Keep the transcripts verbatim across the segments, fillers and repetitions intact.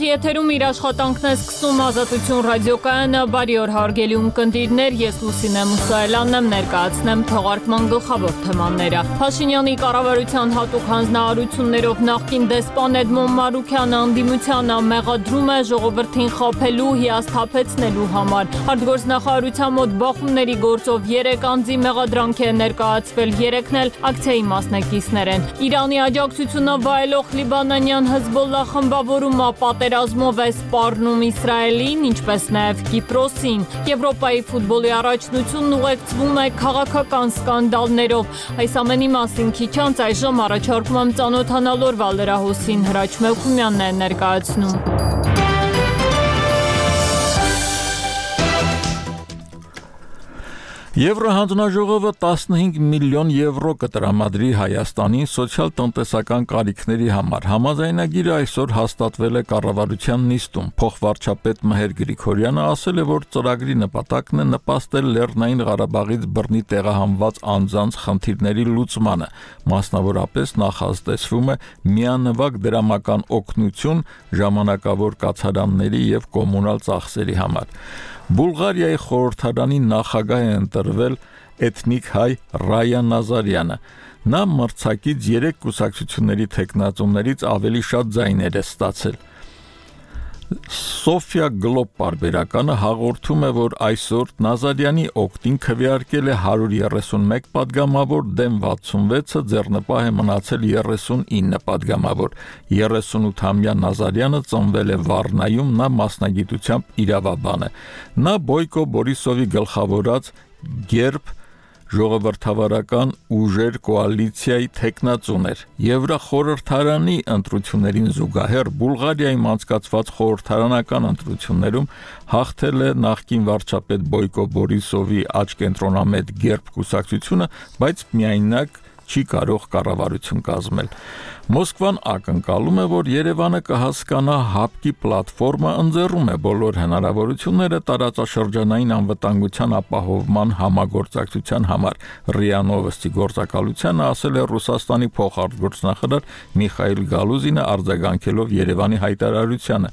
եթերում իր աշխատանքն է սկսում Ազատություն ռադիոկայանը, բարի օր հարգելի ունկնդիրներ, ես Լուսինե Մուսայելյանն եմ, ներկայացնեմ թողարկման գլխավոր թեմաները։ Փաշինյանի կառավարության հատուկ հանձնարարություններով նախկին դեսպան Էդմոն Մարուքյանը անդիմությանը մեղադրում է ժողովրդին խաբելու, հիասթափեցնելու համար։ Արտգործնախարարության մոտ բախումների գործով երեք անձի մեղադրանք է ներկայացվել, երեքն էլ ակցիայի մասնակիցներ են։ Իրանի աջակցությունը վայելող լիբանանյան Հեզբոլլահ խմբավորումը պատերազմով է սպառնում Իսրայելին, ինչպես նաև Կիպրոսին։ Եվրոպայի ֆուտբոլի առաջնությունն ուղեկցվում է քաղաքական սկանդալներով։ Այս ամենի մասին քիչ անց այժմ առաջարկում եմ ծանոթանալ օրվա լրահոսին, Հրաչ Մելքումյանն է ներկայացնում։ Եվրոհանձնաժողովը տասնհինգ միլիոն եվրո կտրամադրի Հայաստանին սոցիալ-տնտեսական կարիքների համար։ Համաձայնագիրը այսօր հաստատվել է կառավարության նիստում։ Փոխվարչապետ Մհեր Գրիգորյանը ասել է, որ ծրագրի նպատակն է նպաստել Լեռնային Ղարաբաղից բռնի տեղահանված անձանց խնդիրների լուծմանը։ Մասնավորապես նախատեսվում է միանվագ դրամական օգնություն ժամանակավոր կացարանների եւ կոմունալ ծախսերի համար։ Բուլղարիայի խորհրդարանի նախագահ է ընտրվել էթնիկ հայ Ռայա Նազարյանը։ Նա մրցակից երեք կուսակցությունների թեկնածուներից ավելի շատ ձայներ է ստացել։ Սոֆիա Գլոբ պարբերականը հաղորդում է, որ այսօր Նազարյանի օգտին քվեարկել է հարյուր երեսունմեկ պատգամավոր, դեմ վաթսունվեցը ձեռնպահ է մնացել երեսունինը պատգամավոր։ երեսունութամյա Նազարյանը ծնվել է Վառնայում, նա մասնագիտությամբ իրավաբան է։ Նա Բոյկո Բորիսովի գլխավորած Գերբ ժողովրդավարական ուժեր կոալիցիայի թեկնածուն էր։ Եվրախորհրդարանի ընտրություններին զուգահեռ Բուլղարիայում անցկացված խորհրդարանական ընտրություններում հաղթել է նախկին վարչապետ Բոյկո Բորիսովի աչկենտրոնամետ Գերբ կուսակցությունը, բայց միայնակ չի կարող կառավարություն կազմել։ Մոսկվան ակնկալում է, որ Երևանը կհասկանա ՀԱՊԿ-ի պլատֆորմը ընձեռում է բոլոր հնարավորությունները տարածաշրջանային անվտանգության ապահովման համագործակցության համար։ ՌԻԱ Նովոստի գործակալությանը ասել է Ռուսաստանի փոխարտգործնախարար Միխայիլ Գալուզինը, արձագանքելով Երևանի հայտարարությանը։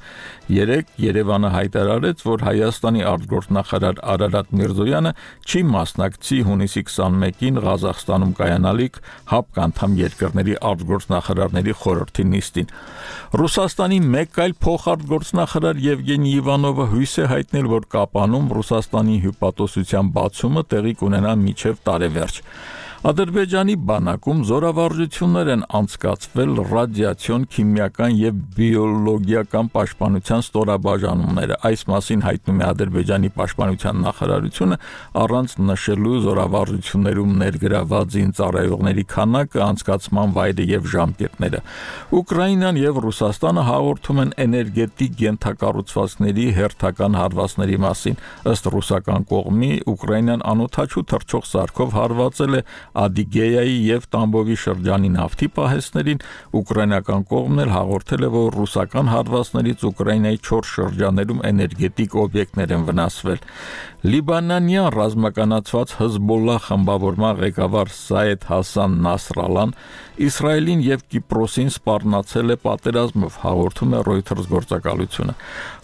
Երեկ Երևանը հայտարարեց, որ Հայաստանի արտգործնախարար Արարատ Միրզոյանը չի մասնակցի հունիսի քսանմեկին Ղազախստանում կայանալիք ՀԱՊԿ անդամ երկրների արտգործնախարարների խորհրդի նիստին։ Ռուսաստանի մեկ այլ փոխարտգործնախարար Եվգենի Իվանովը հույս է հայտնել, որ Կապանում Ռուսաստանի հյուպատոսության բացումը տեղի կունենա մինչև տարեվերջ։ Ադրբեջանի բանակում զորավարժություններ են անցկացվել ռադիացիոն, քիմիական եւ բիոլոգիական պաշտպանության ստորաբաժանումները։ Այս մասին հայտնում է Ադրբեջանի պաշտպանության նախարարությունը, առանց նշելու զորավարժություններում ներգրաված զինծառայողների քանակը, անցկացման վայրը եւ ժամկետները։ Ուկրաինան եւ Ռուսաստանը հաղորդում են էներգետիկ ենթակառուցվածքների հերթական հարվածների մասին։ Ըստ ռուսական կողմի, Ուկրաինան անօթաչու թռչող սարքով հարվածել է Ադիգեյայի եւ Տամբովի շրջանի նավթի պահեստներին, ուկրաինական կողմն էլ հաղորդել է, որ ռուսական հարվածներից Ուկրաինայի չորս շրջաններում էներգետիկ օբյեկտներ են վնասվել։ Լիբանանյան ռազմականացված Հեզբոլլահ խմբավորման ղեկավար Սայեդ Հասան Նասրալան Իսրայելին եւ Կիպրոսին սպառնացել է պատերազմով, հաղորդում է Reuters գործակալությունը։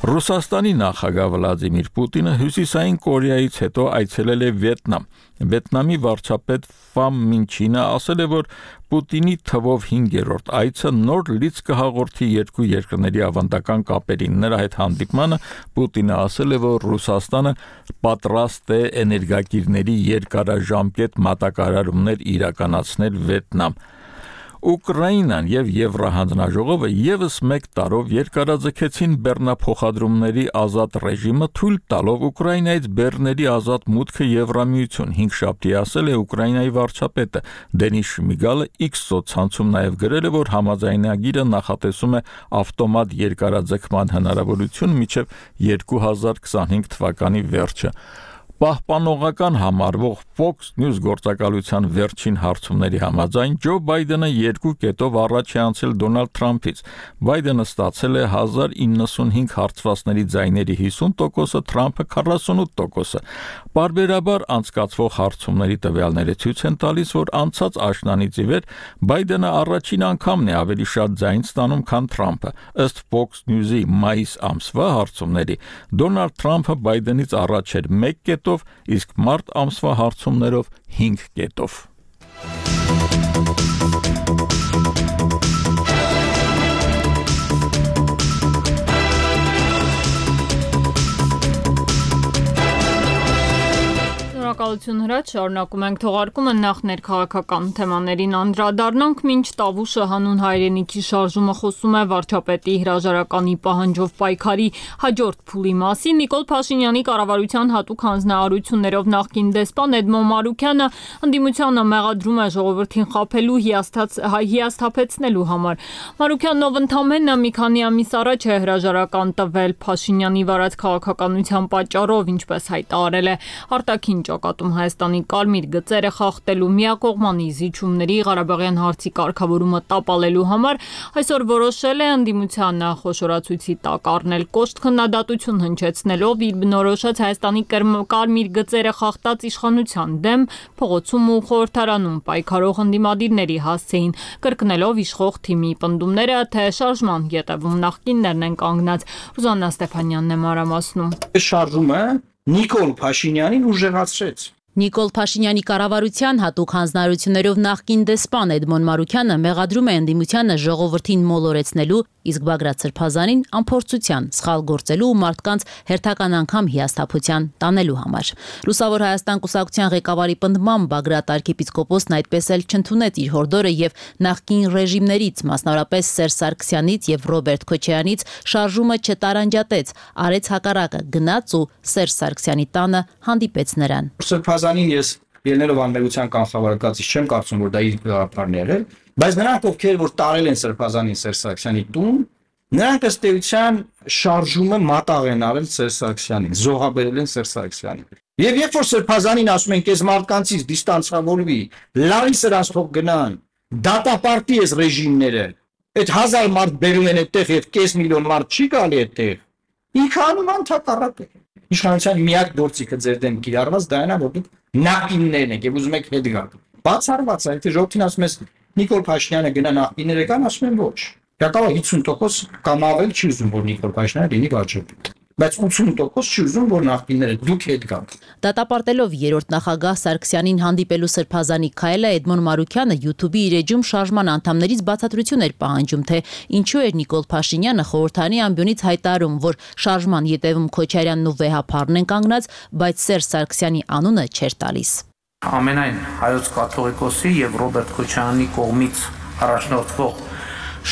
Ռուսաստանի նախագահ Վլադիմիր Պուտինը Հյուսիսային Կորեայից հետո այցելել է Վիետնամ։ Վիետնամի վարչապետ Ֆամ Մինչինը ասել է, որ Պուտինի թվով հինգերորդ այցը նոր լիցք կհաղորդի երկու երկրների ավանդական կապերին։ Նրա հետ հանդիպմանը Պուտինը ասել է, որ Ռուսաստանը պատրաստ է էներգակիրների երկարաժամկետ մատակարարումներ իրականացնել Վիետնամ։ Ուկրաինան եւ Եվրահանձնաժողովը եւս մեկ տարով երկարաձգեցին բեռնափոխադրումների ազատ ռեժիմը, թույլ տալով Ուկրաինայից բեռների ազատ մուտքը Եվրամիություն։ Հինգշաբթի ասել է Ուկրաինայի վարչապետը Դենիս Շմիգալը X սոցցանցում նաեւ գրել է, որ համաձայնագիրը նախատեսում է ավտոմատ երկարաձգման հնարավորություն մինչեւ երկու հազար քսանհինգ թվականի վերջը։ Պահպանողական համարվող Fox News գործակալության վերջին հարցումների համաձայն Ջո Բայդենը երկու կետով առաջ է անցել Դոնալդ Թրամփից։ Բայդենը ստացել է հազար իննսունհինգ հարցվածների ձայների հիսուն տոկոսը, Թրամփը քառասունութ տոկոսը։ Պարբերաբար անցկացվող հարցումների տվյալները ցույց են տալիս, որ անցած աշնանից ի վեր Բայդենը առաջին անգամն է ավելի շատ ձայն ստանում, քան Թրամփը։ Ըստ Fox News-ի մայիս ամսվա հարցումների Դոնալդ Թրամփը Բայդենից առաջ էր մեկ կետով, իսկ մարտ ամսվա հարցումներով հինգ կետով։ Շնորհակալություն Հրաչ, շարունակում ենք թողարկումը, նախ ներքաղաքական թեմաներին անդրադառնանք, մինչ Տավուշը հանուն հայրենիքի շարժումը խոսում է վարչապետի հրաժարականի պահանջով պայքարի հաջորդ փուլի մասին, Նիկոլ Փաշինյանի կառավարության հատուկ հանձնարարություններով նախկին դեսպան Էդմոն Մարուքյանը ընդդիմությանը մեղադրում է ժողովրդին խաբելու, հիասթափեցնելու համար։ Մարուքյանն, ով ընդամենը մի քանի ամիս առաջ է հրաժարական տվել Փաշինյանի վարած քաղաքականության պատճառով, ինչպես հայտարարել է արտաքին ճակատում Հայաստանի կարմիր գծերը խախտելու, միակողմանի զիջումների, Ղարաբաղյան հարցի կարգավորումը տապալելու համար, այսօր որոշել է ընդդիմությանը խոշորացույցի տակ առնել կոշտ քննադատություն հնչեցնելով իր բնորոշած Հայաստանի կարմիր գծերը խախտած իշխանության դեմ փողոցում ու խորհրդարանում պայքարող ընդդիմադիրների հասցեին, կրկնելով իշխող թիմի պնդումները, թե շարժման ետևում նախկիններն են կանգնած։ Ռուզաննա Ստեփանյանն է մանրամասնում։ Շարժումը Նիկոլ Փաշինյանին ուժեղացրեց։ Նիկոլ Փաշինյանի կառավարության հատուկ հանձնարարություններով նախկին դեսպան Էդմոն Մարուքյանը մեղադրում է ընդդիմությանը ժողովրդին մոլորեցնելու, իսկ Բագրատ Սրբազանին անփորձության, սխալ գործելու ու մարդկանց հերթական անգամ հիասթափության տանելու համար։ Լուսավոր Հայաստան կուսակցության ղեկավարի պնդմամբ Բագրատ arczepiskopos-ն այդպես էլ չընդունեց իր հորդորը եւ նախկին ռեժիմներից, մասնավորապես Սերժ Սարգսյանից եւ Ռոբերտ Քոչարյանից շարժումը չտարանջատեց, արեց հակառակը, գնաց ու Սերժ Սարգսյանի տանը հանդիպեց նրան։ Սրբազանին ես ելնելով անմեղության կանխավարկածից չեմ կարծում, որ դա իր գաղափարն է եղել, բայց նրանք, ովքեր որ տարել են Սրբազանին Սերժ Սարգսյանի տուն, նրանք ըստ էության շարժումը մատաղ են արել Սերժ Սարգսյանին, զոհաբերել են Սերժ Սարգսյանին։ Եվ երբ որ Սրբազանին ասում են, «Քեզ մարդկանցից դիստանցավորվի, լարի սրանց թող գնան, դատապարտի ես ռեժիմները», այդ հազար մարդ բերում են այդտեղ եւ կես միլիոն մարդ չի գալի այդտեղ։ Ինքը անում ընդհակառակը։ Իշխանության միակ գործիքը ձեր դեմ կիրառված դա է, որ դուք նախկիններն եք եւ ուզում եք հետ գալ։ Բացառված է, եթե ժողովրդին ասում ես Նիկոլ Փաշինյանը գնա նախկինները կան, ասում են ոչ։ Դա հիսուն տոկոս կամ ավել չի ուզում, որ Նիկոլ Փաշինյանը լինի վարչապետ։ Բայց ութսուն տոկոս չի ուզում, որ նախկինները դուք հետ գաք։ Դատապարտելով երրորդ նախագահ Սարգսյանին հանդիպելու Սրբազանի քայլը Էդմոն Մարուքյանը YouTube-ի իր էջում շարժման անդամներից բացատրություն էր պահանջում, թե ինչու էր Նիկոլ Փաշինյանը խորհրդանի ամբիոնից հայտարարում, որ շարժման ետևում Քոչարյանն ու Վեհափարն են կանգնած, բայց Սերժ Սարգսյանի անունը չէր տալիս։ Ամենայն հայոց կաթողիկոսի եւ Ռոբերտ Քոչարյանի կողմից առաջնորդվող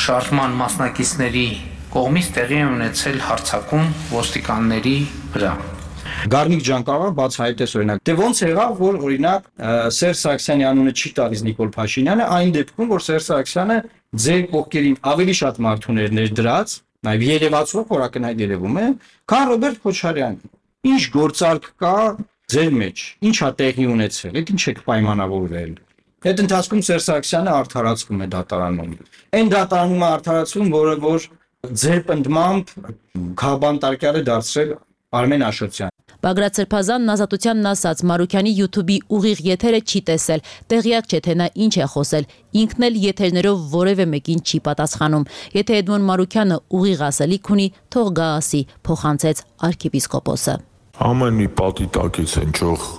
շարժման մասնակիցների կողմից տեղի է ունեցել հարձակում ոստիկանների վրա։ Գառնիկ ջան կարող է բացահայտես օրինակ, թե ոնց եղավ, որ օրինակ Սերժ Սարգսյանի անունը չի տալիս Նիկոլ Փաշինյանը, այն դեպքում, որ Սերժ Սարգսյանը ձեր կողքերին ավելի շատ մարդուներ ներդրած, նաև երևացող օրակնհայտ երևում է, քան Ռոբերտ Քոչարյանը։ Ինչ գործարք կա ձեր մեջ, ինչ է տեղի ունեցել, այդ ինչ եք պայմանավորվել։ Այդ ընթացքում Սերժ Սարգսյանը արդարացվում է դատարանում։ Այն դատարանում է արդարացվում, որը որ ձեր պնդմամբ Քաբանտարկյալը դարձրել Արմեն Աշոտյան։ Բագրատ Սրբազանն ազատությանն ասաց Մարուքյանի YouTube-ի ուղիղ եթերը չի տեսել, տեղյակ չէ թե նա ինչ է խոսել, ինքն էլ եթերներով որևէ մեկին չի պատասխանում։ Եթե Էդմոն Մարուքյանը ուղիղ ասելիք ունի, թող գա ասի, փոխանցեց arczepiskopos-ը։ Ամեն մի պատի տակից հնչող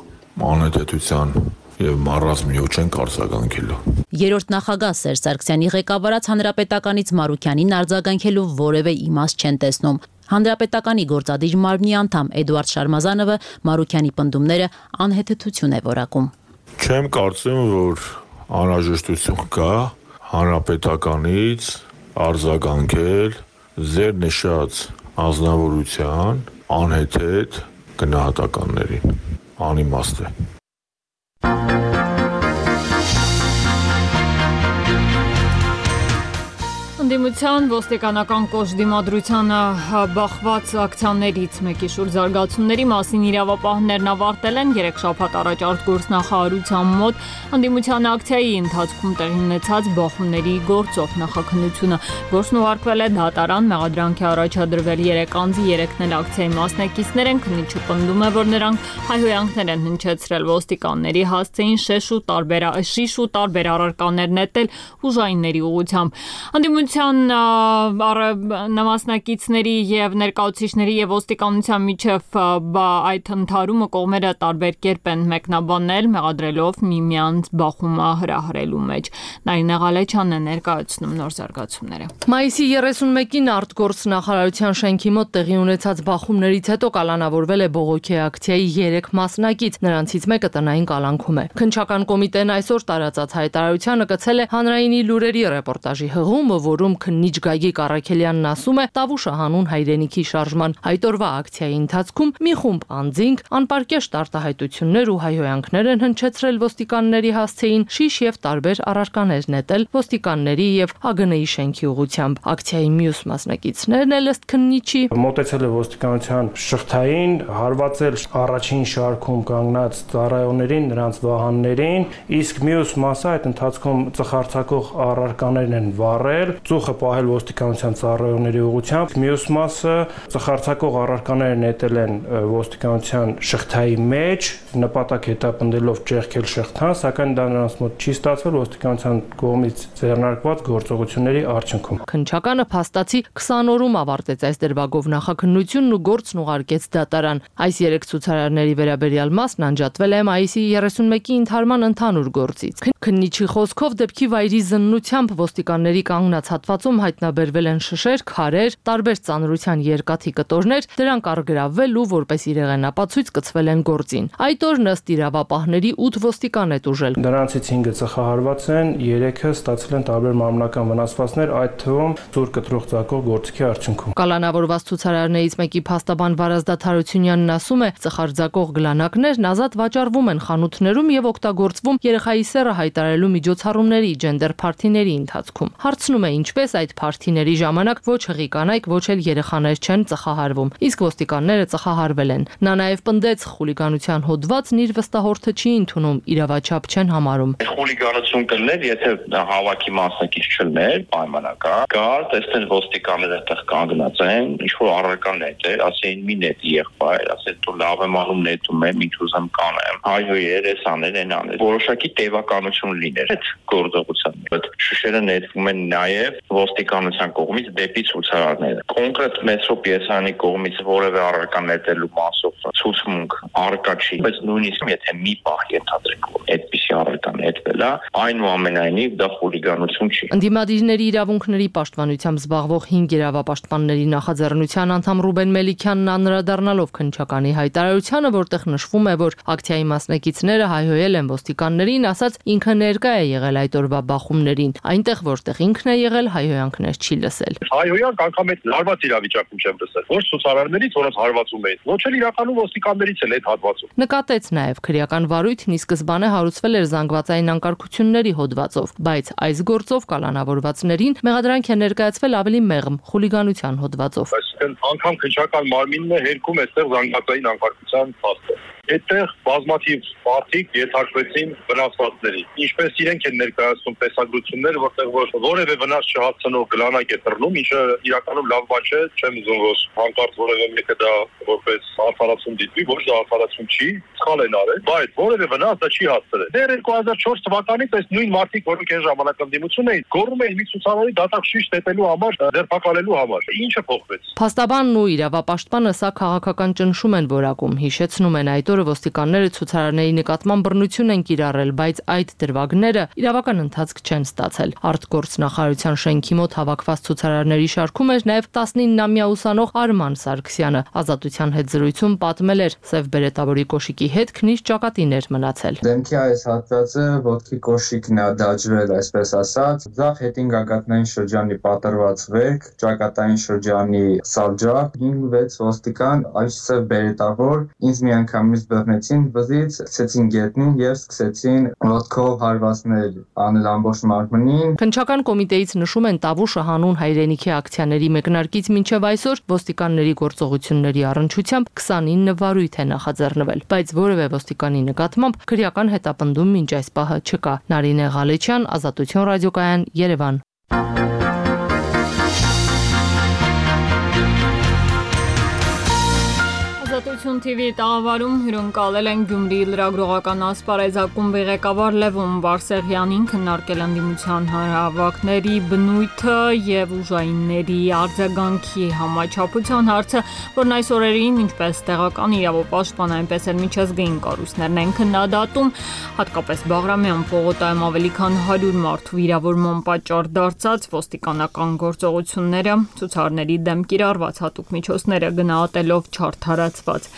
անհետեցության եւ մարազմիո չենք արձագանքելու։ Երրորդ նախագահ Սերժ Սարգսյանի ղեկավարած հանրապետականից Մարուքյանին արձագանքելու որևէ իմաստ չեն տեսնում։ Հանրապետականի գործադիր մարմնի անդամ Էդուարդ Շարմազանովը Մարուքյանի պնդումները անհեթեթություն է որակում։ Չեմ կարծում, որ անհրաժեշտություն կա հանրապետականից արձագանքել ձեր նշած անձնավորության անհեթեթ գնահատականներին։ Անիմաստ է։ Անդիմության ոստիկանական կոշտ դիմադրությանը բախված ակցիաներից մեկի շուրջ զարգացումների մասին իրավապահներն ավարտել են երեք շաբաթ առաջ արտգործնախարարության մոտ անդիմության ակցիայի ընթացքում տեղի ունեցած բախումների գործով նախաքննությունը գործն ուղարկվել է դատարան, մեղադրանքի առաջադրվել երեք անձի, երեքն էլ ակցիայի մասնակիցներ են, քննիչը պնդում է, որ նրանք հայհոյանքներ են հնչեցրել ոստիկանների, հասցեին շիշ ու տարբեր շիշ ու տարբեր առարկաներ նետել ուժայինների ուղղությամբ։ Անդիմության մասնակիցների եւ ներկայացուցիչների եւ ոստիկանության միջև այդ ընդհարումը կողմերը տարբեր կերպ են մեկնաբանել, մեղադրելով միմյանց բախումը հրահրելու մեջ։ Նարինե Ղալեչյանն է ներկայացնում նոր զարգացումները։ Մայիսի երեսունմեկին արտգործնախարարության շենքի մոտ տեղի ունեցած բախումներից հետո կալանավորվել է բողոքի ակցիայի երեք մասնակից, նրանցից մեկը տնային կալանքում է։ Քննչական կոմիտեն այսօր տարածած հայտարարությանը կցել է հանրայինի լուրերի ռեպորտաժի հղումը, որում քննիչ Գագիկ Առաքելյանն ասում է Տավուշը հանուն հայրենիքի շարժման այդ օրվա ակցիայի ընթացքում մի խումբ անձինք անպարկեշտ արտահայտություններ ու հայհոյանքներ են հնչեցրել ոստիկանների հասցեին, շիշ եւ տարբեր առարկաներ նետել ոստիկանների եւ ԱԳՆ-ի շենքի ուղղությամբ։ Ակցիայի մյուս մասնակիցներն էլ ըստ քննիչի մոտեցել է ոստիկանության շղթային, հարվածել առաջին շարքում կանգնած ծառայողներին, նրանց վահաններին, իսկ մյուս մասը այդ ընթացքում ծխարցակող առարկաներն են վառել, ծուխը պահել ոստիկանության ծառայողների ուղղությամբ, մյուս մասը ծխարցակող առարկաները նետել են ոստիկանության շղթայի մեջ, նպատակ հետապնդելով ճեղքել շղթան, սակայն դա նրանց մոտ չի ստացվել ոստիկանության կողմից ձեռնարկված գործողությունների արդյունքում։ Քննչականը փաստացի քսան օրում ավարտեց այս դրվագով նախաքննությունն ու գործն ուղարկեց դատարան։ Այս երեք ցուցարարների վերաբերյալ մասն անջատվել է մայիսի երեսունմեկի ընդհարման ընդհանուր գործից։ Քննիչի խոսքով դեպքի վայրի զննությամբ ոստիկանների կանգնած հատվածում հայտնաբերվել են շշեր, քարեր, տարբեր ծանրության երկաթի կտորներ, դրանք առգրավվել ու որպես իրեղենապացույց կցվել են գործին։ Այդ օրն ըստ իրավապահների ութ ոստիկան է տուժել։ Դրանցից հինգը ծխահարված են, երեքը ստացել են տարբեր մարմնական վնասվածքներ, այդ թվում ծուր կտրող ծակող գործիքի արդյունքում։ Կալանավորված ցուցարարներից մեկի փաստաբան Վարազդատ Հարությունյանն ասում է, ծխարձակող գլանակներն ազատ վաճառվում են խանութներում եւ օգտագործվում երեխայի սեռը հայտարարելու միջոցառումների, ջենդեր փարթիների ընթացքում։ Հարցնում է, ինչպես այդ փարթիների ժամանակ ոչ հղի կանայք, ոչ էլ երեխաներ չեն ծխահարվում, իսկ ոստիկանները ծխահարվել են։ Նա նաեւ պնդեց, խուլիգանության հոդվածն իր վստահորդը չի ընդունում, իրավաչափ չեն համարում։ Խուլիգանություն կլներ, եթե հավաքի մասնակից չլներ, պայմանական, գար, տեսնեն ոստիկանները այդտեղ կանգնած են, ինչ որ առարկա նետեր, ասեին մի նետ եղբայր, ասել դու լավ եմ անում, նետում եմ, ինչ ուզեմ կանեմ։ Հայոյեր, էս անել, են անել։ Որոշակի տևականություն լիներ այդ գործողության։ Այդ շշերը նետվում են նաև ոստիկանության կողմից դեպի ցուցարարները։ Կոնկրետ մետրոպիեսանի կողմից որևէ առարկա նետելու մասով ցուցմունք առկա չի, բայց նույնիսկ եթե մի պահ ենթադրենք, որ այդպիսի առարկա նետվել է, այնուամենայնիվ դա խուլիգանություն չի։ Ընդդիմադիրների իրավունքների պաշտպանությամբ զբաղվող հինգ իրավապաշտպանների նախաձեռնության անդամ Ռուբեն Մելիքյանն անդրադառնալով քննչականի հայտարարությանը, որտեղ նշվում է, որ ակցիայի մասնակիցները հայհոյել են ոստիկաններին, ասաց ինքը ներկա է եղել այդ օրվա բախումներին, այնտեղ որտեղ ինքն է եղել, հայհոյանքներ չի լսել։ Հայհոյանք անգամ այդ լարված իրավիճակում չեմ լսել, ոչ ցուցարարներից, որոնց հարվածում էին, ոչ էլ իրականում ոստիկաններից էլ այդ հատվածում։ Նկատեց նաև քրեական վարույթն ի սկզբանե հարուցվել էր զանգվածային անկարգությունների հոդվածով, բայց այս գործով կալանավորվածներին մեղադրանք է ներկայացվել ավելի մեղմ խուլիգանության հոդվածով։ Այսինքն անգամ քննչական մարմինն է հերքում այստեղ զանգվածային անկարգության փաստը։ Այդտեղ բազմաթիվ մարդիկ ենթարկվեցին վնասվածքների։ Ինչպես իրենք են ներկայացնում տեսագրություններ, որտեղ որ որևէ վնաս չհասցնող գլանակ է տրնում, ինչը իրականում լավ բան չէ, չեմ ուզում որ հանկարծ որևէ մեկը դա որպես արդարացում դիտվի, ոչ դա արդարացում չի, սխալ են արել, բայց որևէ վնաս դա չի հասցրել։ Դեռ երկու հազար չորս թվականից այս նույն մարդիկ, որոնք այն ժամանակ ընդդիմություն էին, գոռում էին մի ցուցարարի դատակ շիշ տետելու համար, ձերբակալելու համար։ Ինչը փոխվեց։ Փաստաբանն ու իրավապաշտպանը սա քաղաքական ճնշում են որակում, հիշեցնում են այդ օրը ոստիկանները ցուցարարների նկատմամբ բռնություն են կիրառել, բայց այդ դրվագները իրավական ընթացք չեն ստացել։ Արտգործնախարարության շենքի մոտ հավաքված ցուցարարների շարքում էր նաև տասնիննամյա ուսանող Արման Սարգսյանը։ Ազատության հետ զրույցում պատմել էր, սև բերետավորի կոշիկի հետ քնիչ ճակատին էր մնացել։ Դեմքի այս հատվածը ոտքի կոշիկն է դաջվել, այսպես ասած, ձախ հետին գագաթնային շրջանի պատրված վերք, ճակատային շրջանի սալջակ, հինգ վեց ոստիկան, այս սև բերետավոր ինձ միանգամից ինձ բռնեցին վզից, ցեցին գետնին եւ սկսեցին ոտքով հարվածներ անել ամբողջ մարմնին։ Քննչական կոմիտեից նշում են Տավուշը հանուն հայրենիքի ակցիաների մեկնարկից մինչև այսօր ոստիկանների գործողությունների առնչությամբ քսանինը վարույթ է նախաձեռնվել, բայց որևէ ոստիկանի նկատմամբ քրեական հետապնդում մինչ այս պահը չկա։ Նարինե Ղալեչյան, Ազատություն ռադիոկայան, Երևան։ Ազատություն T V տաղավարում հյուրընկալել են Գյումրիի լրագրողական ասպարեզակումբի ղեկավար Լևոն Բարսեղյանին, քննարկել ընդդիմության հանրահավաքների բնույթը եւ ուժայինների արձագանքի համաչափության հարցը, որն այս օրերին ինչպես տեղական իրավապաշտպան, այնպես էլ միջազգային կառույցներն են քննադատում, հատկապես Բաղրամյան պողոտայում ավելի քան հարյուր մարդու վիրավորման պատճառ դարձած ոստիկանական գործողությունները, ցուցարարների դեմ կիրառված հատուկ միջոցները գնահատելով չարդարացված։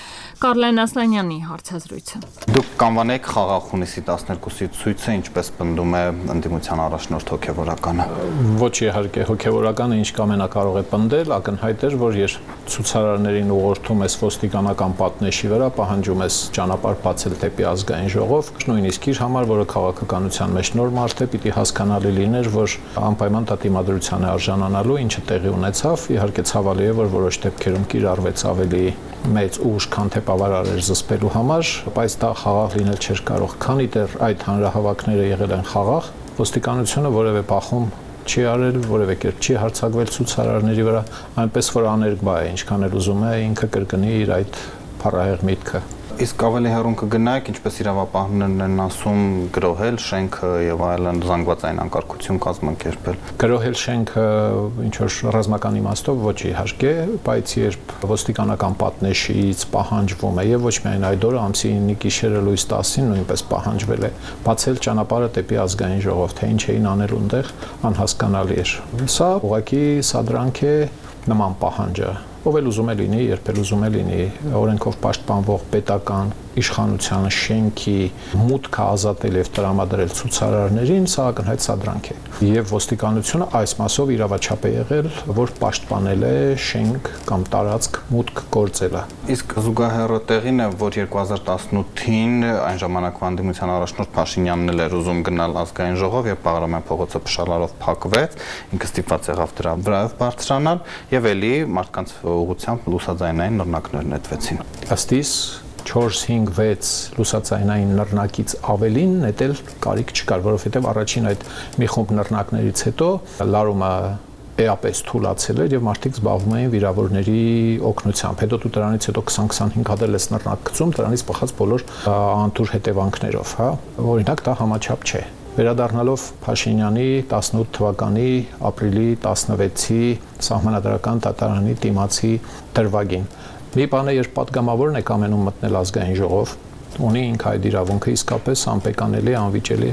Կարլեն Ասլանյանի հարցազրույցը։ Դուք կանվանեք խաղաղ հունիսի տասներկուսի ցույցը, ինչպես պնդում է ընդդիմության առաջնորդ հոգևորականը։ Ոչ իհարկե, հոգևորականը ինչ կամենա կարող է պնդել, ակնհայտ էր, որ երբ ցուցարարներին ուղղորդում ես ոստիկանական պատնեշի վրա, պահանջում ես ճանապարհ բացել դեպի ազգային ժողով, նույնիսկ իր համար, որը քաղաքականության մեջ նոր մարդ է, պիտի հասկանալի լիներ, որ անպայման դատիմադրության է արժանանալու, ինչը տեղի ունեցավ, իհարկե ցավալի է, որ որոշ դեպքերում կիրառվեց ավելի մեծ ուժ, քան թե բավարար էր զսպելու համար, բայց դա խաղաղ լինել չէր կարող, քանի դեռ այդ հանրահավաքները եղել են խաղաղ, ոստիկանությունը որևէ բախում չի արել, որևէ կերպ չի հարձակվել ցուցարարների վրա, այնպես որ աներկբա է, ինչքան էլ ուզում է ինքը կրկնի իր այդ փառահեղ միտքը։ Իսկ ավելի հեռուն կգնայք, ինչպես իրավապահներն են ասում, գրոհել շենքը եւ այլն, զանգվածային անկարգություն կազմակերպել։ Գրոհել շենքը ինչ որ ռազմական իմաստով ոչ իհարկե, բայց երբ ոստիկանական պատնեշից պահանջվում է եւ ոչ միայն այդ օրը ամսի ինը գիշերը լույս տասին նույնպես պահանջվել է բացել ճանապարհը դեպի ազգային ժողով, թե ինչ էին անել ունտեղ, անհասկանալի էր։ Սա ուղղակի սադրանք է նման պահանջը։ Ով էլ ուզում է լինի, երբ էլ ուզում է լինի, օրենքով պաշտպանվող պետական իշխանության շենքի մուտքը ազատել եւ տրամադրել ցուցարարներին, սա ակնհայտ սադրանք է։ Եվ ոստիկանությունը այս մասով իրավաչափ է եղել, որ պաշտպանել է շենք կամ տարածք մուտք գործելը։ Իսկ զուգահեռը տեղին է, որ երկու հազար տասնութին այն ժամանակվա ընդդիմության առաջնորդ Փաշինյանն էլ էր ուզում գնալ ազգային ժողով եւ Բաղրամյան փողոցը փշալարով փակվեց, ինքը ստիպված եղավ դրա վրայով բարձրանալ եւ էլի մարդկանց ուղղությամբ լուսաձայնային նռնակներ նետվեցին։ Ըստ իս չորս հինգ վեց լուսաձայնային նռնակից ավելին նետել կարիք չկար, որովհետև առաջին այդ մի խումբ նռնակներից հետո լարումը էապես թուլացել էր եւ մարդիկ զբաղվում էին վիրավորների օգնությամբ։ Հետո դու դրանից հետո քսան քսանհինգ հատ ես նռնակ գցում, դրանից բխած բոլոր անտուր հետևանքներով, հա։ Օրինակ դա համաչափ չէ։ Վերադառնալով Փաշինյանի տասնութ թվականի ապրիլի տասնվեցի սահմանադրական դատարանի դիմացի դրվագին։ Մի բան է, երբ պատգամավորն է կամենում մտնել ազգային ժողով, ունի ինքը այդ իրավունքը իսկապես անպեկանելի, անվիճելի։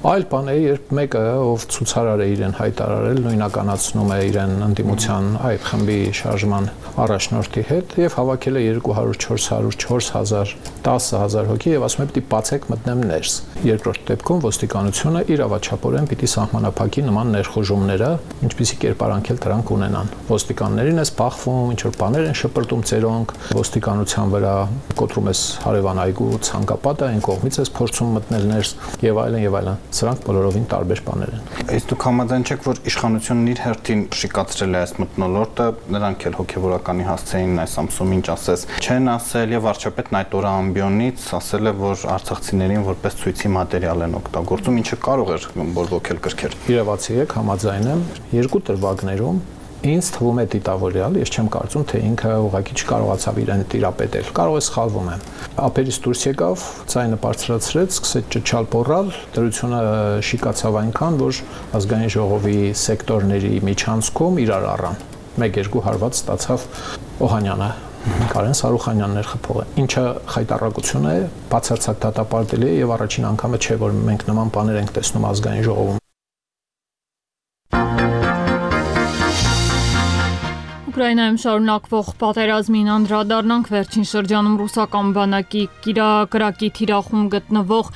Այլ բան է, երբ մեկը, ով ցուցարար է իրեն հայտարարել, նույնականացնում է իրեն ընդդիմության այդ խմբի շարժման առաջնորդի հետ եւ հավաքել է երկու հարյուր չորս հարյուր չորս հազար տասը հազար հոգի եւ ասում է պիտի բացեք մտնեմ ներս։ Երկրորդ դեպքում ոստիկանությունը իրավաչափորեն պիտի սահմանափակի նման ներխուժումները, ինչպիսի կերպարանքել դրանք ունենան։ Ոստիկաններին է սպախվում, ինչ որ բաներ են շպրտում ծերոնք, ոստիկանության վրա կոտրում ես հարևան այգու ցանկապատը, այն կողմից ես փորձում մտնել ներս եւ այլն եւ այլն։ Սրանք բոլորովին տարբեր բաներ են։ Իսկ դուք համաձայն չեք, որ իշխանությունն իր հերթին շիկացրել է այս մթնոլորտը, նրանք էլ հոգեվորականի հասցեին այս ամսում ինչ ասես չեն ասել եւ վարչապետն այդ օրը ամբիոնից ասել է, որ արցախցիներին որպես ցույցի մատերիալ են օգտագործում, ինչը կարող էր բորբոքել կրքեր։ Իրավացի եք, համաձայն եմ, երկու դրվագներում ինձ թվում է դիտավորյալ, ես չեմ կարծում, թե ինքը ուղղակի չկարողացավ իրեն տիրապետել։ Կարող է սխալվում եմ։ Ափերից դուրս եկավ, ձայնը բարձրացրեց, սկսեց ճչալ պոռալ, դրությունը շիկացավ այնքան, որ ազգային ժողովի սեկտորների միջանցքում իրար առան։ մեկ-երկու հարված ստացավ Օհանյանը, Կարեն Սարուխանյանն էր խփողը։ Ինչը խայտառակություն է, բացարձակ դատապարտելի է եւ առաջին անգամը չէ, որ մենք նման բաներ ենք տեսնում ազգային ժողովում։ Ուկրաինայում շարունակվող պատերազմին անդրադառնանք, վերջին շրջանում ռուսական բանակի կրակի թիրախում գտնվող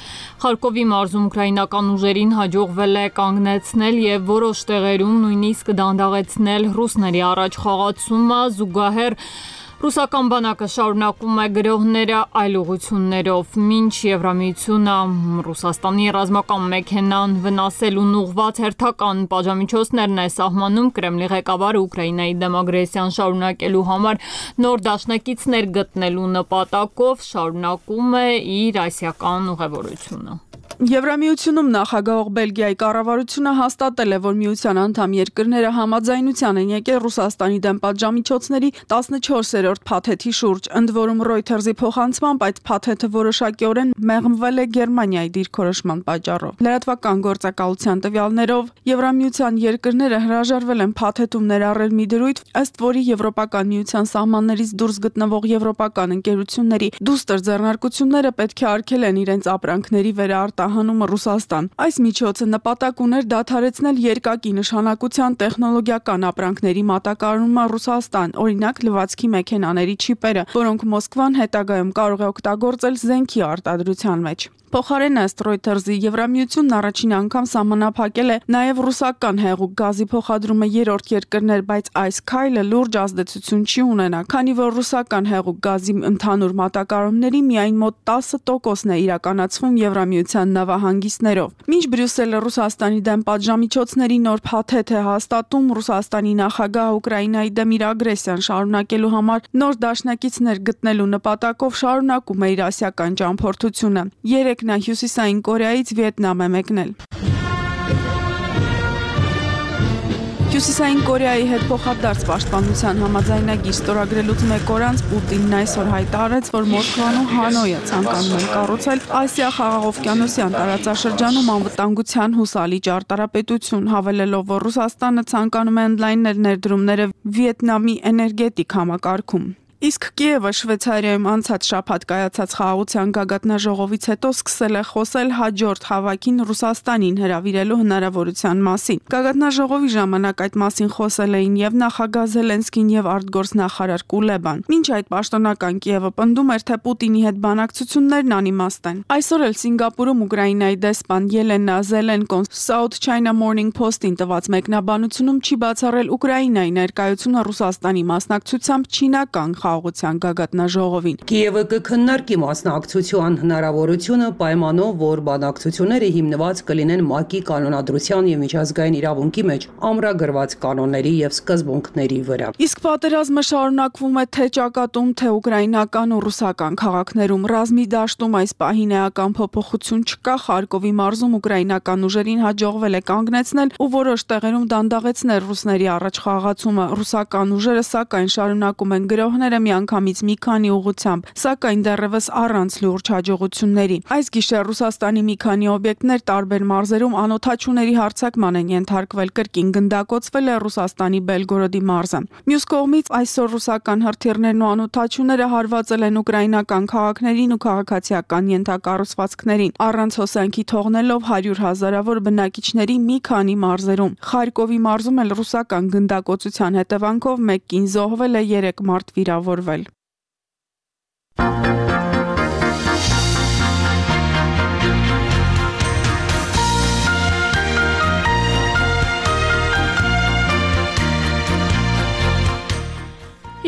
Խարկովի մարզում ուկրաինական ուժերին հաջողվել է կանգնեցնել եւ որոշ տեղերում նույնիսկ դանդաղեցնել ռուսների առաջխաղացումը, զուգահեռ Ռուսական բանակը շարունակում է գրոհները այլ ուղղություններով։ Մինչ Եվրամիությունը Ռուսաստանի ռազմական մեքենան վնասելուն ուղղված հերթական պատժամիջոցներն է սահմանում, Կրեմլի ղեկավարը Ուկրաինայի դեմ ագրեսիան շարունակելու համար նոր դաշնակիցներ գտնելու նպատակով շարունակում է իր ասիական ուղևորությունը։ Եվրամիությունում նախագահող Բելգիայի կառավարությունը հաստատել է, որ միության անդամ երկրները համաձայնության են եկել Ռուսաստանի դեմ պատժամիջոցների տասնչորսերորդ փաթեթի շուրջ, ընդ որում Reuters-ի փոխանցմամբ այդ փաթեթը որոշակիորեն մեղմվել է Գերմանիայի դիրքորոշման պատճառով։ Լրատվական գործակալության տվյալներով Եվրամիության երկրները հրաժարվել են փաթեթում ներառել մի դրույթ, ըստ որի Եվրոպական միության սահմաններից դուրս գտնվող եվրոպական ընկերությունների դուստր ձեռնարկությունները պետք է արգելեն իրենց ապրանքների վերարտահանումը Ռուսաստան։ Այս միջոցը նպատակ ուներ դադարեցնել երկակի նշանակության տեխնոլոգիական ապրանքների մատակարարումը Ռուսաստան, օրինակ լվացքի մեքենաների չիպերը, որոնք Մոսկվան հետագայում կարող է օգտագործել զենքի արտադրության մեջ։ Փոխարեն ըստ Reuters-ի Եվրամիությունն առաջին անգամ սահմանափակել է նաև ռուսական հեղուկ գազի փոխադրումը երրորդ երկրներ, բայց այս քայլը լուրջ ազդեցություն չի ունենա, քանի որ ռուսական հեղուկ գազի ընդհանուր մատակարարումների միայն մոտ տասը տոկոսն է իրականացվում Եվրամիության նավահանգիստներով։ Մինչ Բրյուսելը Ռուսաստանի դեմ պատժամիջոցների նոր փաթեթ է հաստատում, Ռուսաստանի նախագահը Ուկրաինայի դեմ իր ագրեսիան շարունակելու համար նոր դաշնակիցներ գտնելու նպատակով շարունակում է իր ասիական ճամփորդությունը։ Երեք նա Հյուսիսային Կորեայից Վիետնամ է մեկնել։ Հյուսիսային Կորեայի հետ փոխադարձ պաշտպանության համաձայնագիր ստորագրելուց մեկ օր անց Պուտինն այսօր հայտարարեց, որ Մոսկվան ու Հանոյը ցանկանում են կառուցել Ասիա-Խաղաղօվկիանոսյան տարածաշրջանում անվտանգության հուսալի ճարտարապետություն, հավելելով, որ Ռուսաստանը ցանկանում է ընդլայնել ներդրումները Վիետնամի էներգետիկ համակարգում։ Իսկ Կիևը Շվեյցարիայում անցած շաբաթ կայացած խաղաղության գագաթնաժողովից հետո սկսել է խոսել հաջորդ հավաքին Ռուսաստանին հրավիրելու հնարավորության մասին։ Գագաթնաժողովի ժամանակ այդ մասին խոսել էին եւ նախագահ Զելենսկին եւ արտգործնախարար Կուլեբան։ Մինչ այդ պաշտոնական Կիևը պնդում էր, թե Պուտինի հետ բանակցություններն անիմաստ են։ Այսօր էլ Սինգապուրում Ուկրաինայի դեսպան Ելենա Զելենկոն South China Morning Post-ին տված մեկնաբանությունում չի բացառել Ուկրաինայի ներկայությունը Ռուսաստանի մասնակցությամբ չինական խաղաղության գագաթնաժողովին։ Կիևը կքննարկի մասնակցության հնարավորությունը պայմանով, որ բանակցությունները հիմնված կլինեն ՄԱԿ-ի կանոնադրության եւ միջազգային իրավունքի մեջ ամրագրված կանոնների եւ սկզբունքների վրա։ Իսկ պատերազմը շարունակվում է թե ճակատում, թե ուկրաինական ու ռուսական քաղաքներում։ Ռազմի դաշտում այս պահին էական փոփոխություն չկա։ Խարկովի մարզում ուկրաինական ուժերին հաջողվել է կանգնեցնել ու որոշ տեղերում դանդաղեցնել ռուսների առաջխաղացումը։ Ռուսական ուժերը սակայն շարունակում են գրոհները միանգամից մի քանի ուղղությամբ, սակայն դեռևս առանց լուրջ հաջողությունների։ Այս գիշեր Ռուսաստանի մի քանի օբյեկտներ տարբեր մարզերում անօթաչուների հարձակման են ենթարկվել, կրկին գնդակոծվել է Ռուսաստանի Բելգորոդի մարզը։ Մյուս կողմից այսօր ռուսական հրթիռներն ու անօթաչուները հարվածել են ուկրաինական քաղաքներին ու քաղաքացիական ենթակառուցվածքներին, առանց հոսանքի թողնելով հարյուր հազարավոր բնակիչների մի քանի մարզերում։ Խարկովի մարզում էլ ռուսական գնդակոծության հետևանքով մեկ կին զոհվել է, երեք մարդ վիրավորվել։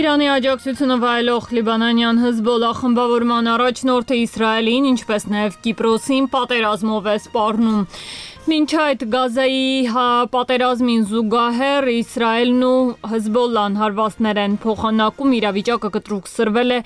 Իրանի աջակցությունը վայելող լիբանանյան Հեզբոլլահ խմբավորման առաջնորդը Իսրայելին, ինչպես նաև Կիպրոսին պատերազմով է սպառնում։ Մինչ այդ Գազայի պատերազմին զուգահեռ Իսրայելն ու Հեզբոլլահն հարվածներ են փոխանակում, իրավիճակը կտրուկսրվել է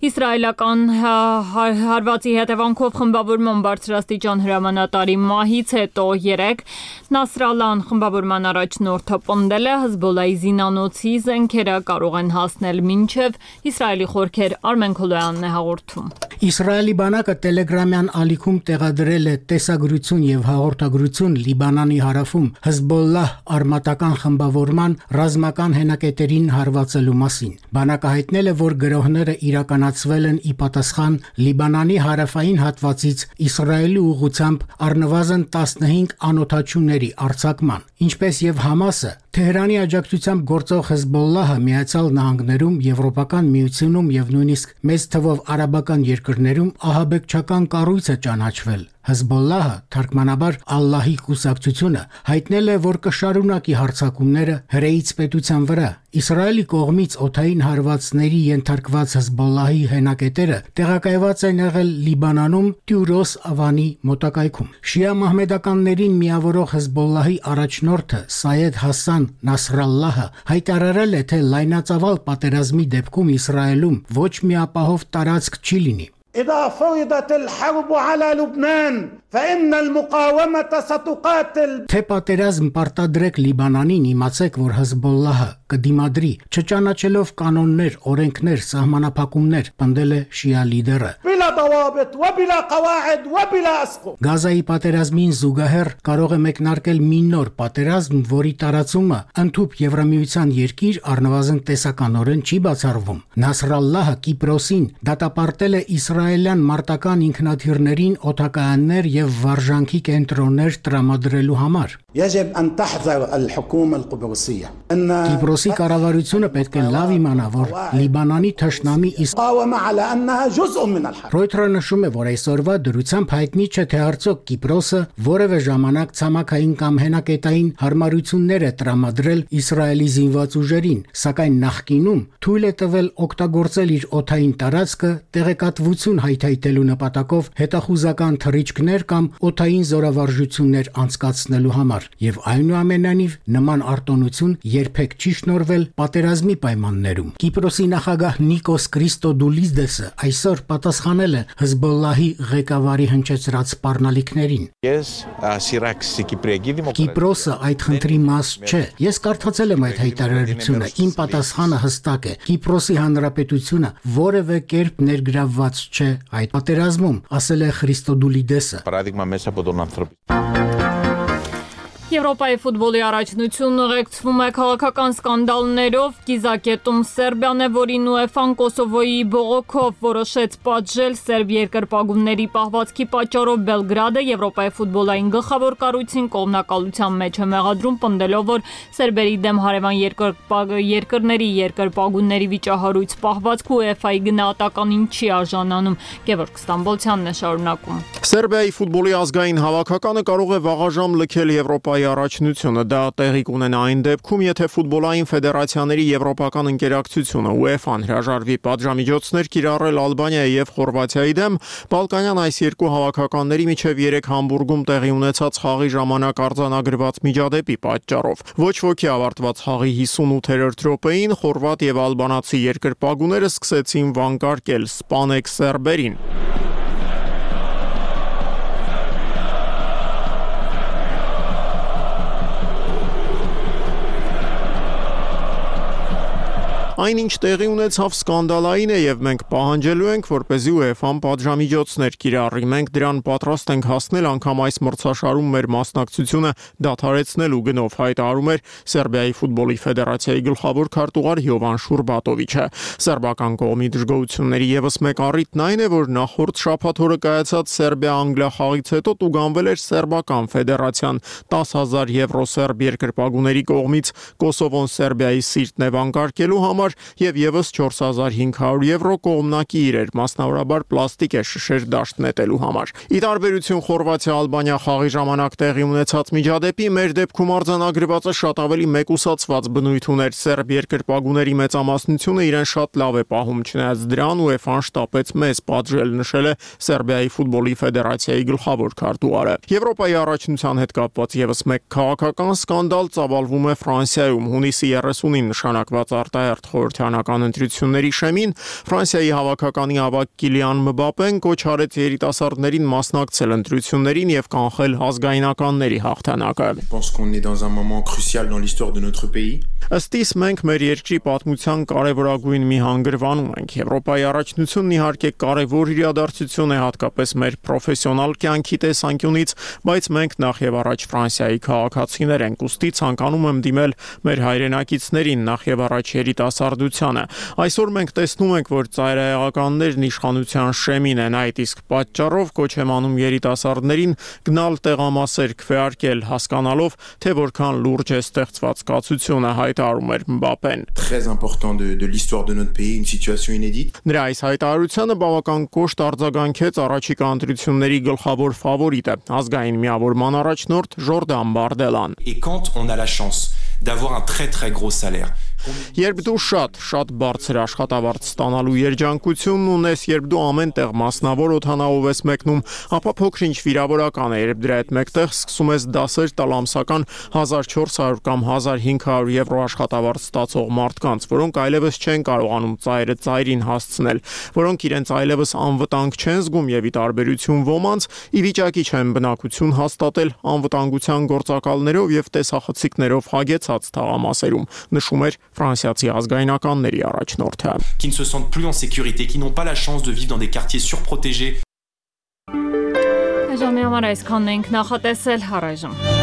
իսրայելական հարվածի հետևանքով խմբավորման բարձրաստիճան հրամանատարի մահից հետո երեկ Նասրալլահն խմբավորման առաջնորդը պնդել է Հեզբոլլահի զինանոցի զենքերը կարող են հասնել մինչև Իսրայելի խորքեր։ Արմեն Քոլոյանն է հաղորդում։ Իսրայելի բանակը Տելեգրամյան ալիքում տեղադրել է տեսագրություն եւ հաղորդագրություն Լիբանանի հարավում Հեզբոլլահ արմատական խմբավորման ռազմական հենակետերին հարվածելու մասին։ Բանակը հայտնել է, որ գրոհները իրականացվել են ի պատասխան Լիբանանի հարավային հատվածից Իսրայելի ուղղությամբ առնվազն տասնհինգ անօթաչուների արձակման, ինչպես եւ Համասը Թեհրանի աջակցությամբ գործող Հեզբոլլահը Միացյալ Նահանգներում, Եվրոպական միությունում եւ նույնիսկ մեծ թվով արաբական երկրներում ահաբեկչական կառույց է ճանաչվել։ Հեզբոլլահը, թարգմանաբար Ալլահի կուսակցությունը, հայտնել է, որ կշարունակի հարձակումները հրեից պետության վրա։ Իսրայելի կողմից օդային հարվածների ենթարկված Հեզբոլլահի հենակետերը տեղակայված են եղել Լիբանանում Տյուրոս ավանի մոտակայքում։ Շիա մահմեդականներին միավորող Հեզբոլլահի առաջնորդը Սայեդ Հասան Նասրալլահը հայտարարել է, թե լայնածավալ պատերազմի դեպքում Իսրայելում ոչ մի ապահով տարածք չի լինի։ إذا فرضت الحرب على لبنان فإن المقاومة ستقاتل Թե պատերազմ պարտադրեք Լիբանանին, իմացեք, որ Հեզբոլլահը կդիմադրի, չճանաչելով կանոններ, օրենքներ, սահմանափակումներ, պնդել է շիա լիդերը։ بلا ضوابط وبلا قواعد وبلا أسقف Գազայի պատերազմին զուգահեռ կարող է մեկնարկել մի նոր պատերազմ, որի տարածումը ընդհուպ Եվրամիության երկիր առնվազն տեսականորեն չի բացառվում։ Նասրալլահը Կիպրոսին դատապարտել է իսրայելյան մարտական ինքնաթիռներին օդակայաններ եւ վարժանքի կենտրոններ տրամադրելու համար։ يجب أن تحذر الحكومة القبرصية أن Կիպրոսի կառավարությունը պետք է լավ իմանա, որ Լիբանանի թշնամի قاوم على أنها جزء من الحرب Ռոյթերը նշում է, որ այսօրվա դրությամբ հայտնի չէ, թե արդյոք Կիպրոսը որևէ ժամանակ ցամաքային կամ հենակետային հարմարություններ է տրամադրել Իսրայելի զինված ուժերին, սակայն նախկինում թույլ է տվել օգտագործել իր օդային տարածքը տեղեկատվություն հայթայթելու նպատակով հետախուզական թռիչքներ կամ օդային զորավարժություններ անցկացնելու համար, եւ այնուամենայնիվ նման արտոնություն երբեք չի շնորվել պատերազմի պայմաններում։ Կիպրոսի նախագահ Նիկոս Քրիստոդուլիդեսը այսօր պատասխանել է Հեզբոլլահի ղեկավարի հնչեցրած սպառնալիքներին։ Ես սիրաքսի Կիպրեգի Կիպրոսը այդ խնդրի մաս չէ։ Ես կարդացել եմ այդ հայտարարությունը։ Իմ պատասխանը հստակ է։ Կիպրոսի հանրապետությունը որևէ կերպ ներգրավված չէ այդ պատերազմում, ասել է Քրիստոդուլիդեսը։ Պարադիգմա մեσα podon anthropi Եվրոպայի ֆուտբոլի առաջնությունն ուղեկցվում է քաղաքական սկանդալներով, կիզակետում Սերբիան է, որին ՈՒԵՖԱ-ն Կոսովոյի բողոքով որոշեց պատժել սերբ երկրպագուների պահվածքի պատճառով Բելգրադը Եվրոպայի ֆուտբոլային գլխավոր կառույցին կողմնակալության մեջ է մեղադրում, պնդելով, որ սերբերի դեմ հարևան երկրների երկրպագուների վիճահարույց պահվածքը ՈՒԵՖԱ-ի գնահատականին չի արժանանում։ Գևորգ Ստամբոլցյանն է շարունակում։ Սերբիայի ֆուտբոլի ազգային հավաքականը կարող է վաղաժամ լքել Եվրոպայի առաջնությունը, դա տեղի կունենա այն դեպքում, եթե ֆուտբոլային ֆեդերացիաների եվրոպական ընկերակցությունը ՈՒԵՖԱ-ն հրաժարվի պատժամիջոցներ կիրառել Ալբանիայի եւ Խորվաթիայի դեմ, Բալկանյան այս երկու հավաքականների միջև երեք Համբուրգում տեղի ունեցած խաղի ժամանակ արձանագրված միջադեպի պատճառով։ Ոչ ոքի ավարտված խաղի հիսունութերորդ րոպեին խորվաթ եւ ալբանացի երկրպագուները սկսեցին վանկարկել սպանեք սերբերին։ Այնինչ տեղի ունեցավ սկանդալային է եւ մենք պահանջելու ենք, որպեսզի ՈՒԵՖԱ-ն պատժամիջոցներ կիրառի։ Մենք դրան պատրաստ ենք հասնել անգամ այս մրցաշարում մեր մասնակցությունը դադարեցնելու գնով, հայտարարում էր Սերբիայի ֆուտբոլի ֆեդերացիայի գլխավոր քարտուղար Յովան Շուրբատովիչը։ Սերբական կողմի դժգոհությունների եւս մեկ առիթն այն է, որ նախորդ շաբաթ օրը կայացած Սերբիա-Անգլիա խաղից հետո տուգանվել էր Սերբական ֆեդերացիան տասը հազար եվրո սերբ երկրպագուների կողմից Կոսովոն Սերբիայի սիրտն է վանկարկելու համար եւ եւս չորս հազար հինգ հարյուր եվրո կողմնակի իրեր, մասնավորաբար պլաստիկ է շշեր դաշտ նետելու համար։ Ի տարբերություն Խորվաթիա-Ալբանիա խաղի ժամանակ տեղի ունեցած միջադեպի, մեր դեպքում արձանագրվածը շատ ավելի մեկուսացված բնույթ ուներ։ Սերբ երկրպագուների մեծամասնությունը իրեն շատ լավ է պահում, չնայած դրան ՈՒԵՖԱ-ն շտապեց մեզ պատժել, նշել է Սերբիայի ֆուտբոլի ֆեդերացիայի գլխավոր քարտուղարը։ Եվրոպայի առաջնության հետ կապված եւս մեկ քաղաքական սկանդալ ծավալվում է Ֆրանսիայում։ Հունիսի երեսունին նշանակված արտահերթ խորհրդանական ընտրությունների շեմին Ֆրանսիայի հավաքականի ավագ Կիլիան Մբապեն կոչ արեց երիտասարդներին մասնակցել ընտրություններին եւ կանխել ազգայնականների հաղթանակը։ Ըստիս մենք մեր երկրի պատմության կարևորագույն մի հանգրվանում ենք։ Եվրոպայի առաջնությունն իհարկե կարևոր իրադարձություն է հատկապես մեր պրոֆեսիոնալ կյանքի տեսանկյունից, բայց մենք նախ եւ առաջ Ֆրանսիայի քաղաքացիներ ենք, ուստի ցանկանում եմ դիմել մեր հայրենակիցներին նախ եւ առաջ երիտասարդ երիտասարդությանը։ Այսօր մենք տեսնում ենք, որ ծայրահեղականներն իշխանության շեմին են, այդ իսկ պատճառով կոչ եմ անում երիտասարդներին գնալ տեղամասեր քվեարկել, հասկանալով, թե որքան լուրջ է ստեղծված կացությունը, հայտարարում էր Մբապեն։ Très important de de l'histoire de notre pays, une situation inédite. Նրա այս հայտարարությանը բավական կոշտ արձագանքեց առաջիկա ընտրությունների գլխավոր ֆավորիտը, ազգային միավորման առաջնորդ Ժորդան Բարդելան։ Et quand on a la chance d'avoir un très très gros salaire. Երբ դու շատ, շատ բարձր աշխատավարձ ստանալու երջանկությունն ունես, երբ դու ամեն տեղ մասնավոր օդանավով ես մեկնում, ապա փոքր-ինչ վիրավորական է, երբ դրա հետ մեկտեղ սկսում ես դասեր տալ ամսական հազար չորս հարյուր կամ հազար հինգ հարյուր եվրո աշխատավարձ ստացող մարդկանց, որոնք այլևս չեն կարողանում ծայրը ծայրին հասցնել, որոնք իրենց այլևս անվտանգ չեն զգում եւ ի տարբերություն ոմանց ի վիճակի չեն բնակություն հաստատել անվտանգության գործակալներով եւ տեսախցիկներով հագեցած թաղամասերում, նշում էր Ֆրանսիացի ազգայնականների առաջնորդը։ Qui ne se sentent plus en sécurité, qui n'ont pas la chance de vivre dans des quartiers surprotégés. Այժմ համար այսքանն ենք նախատեսել, առայժմ։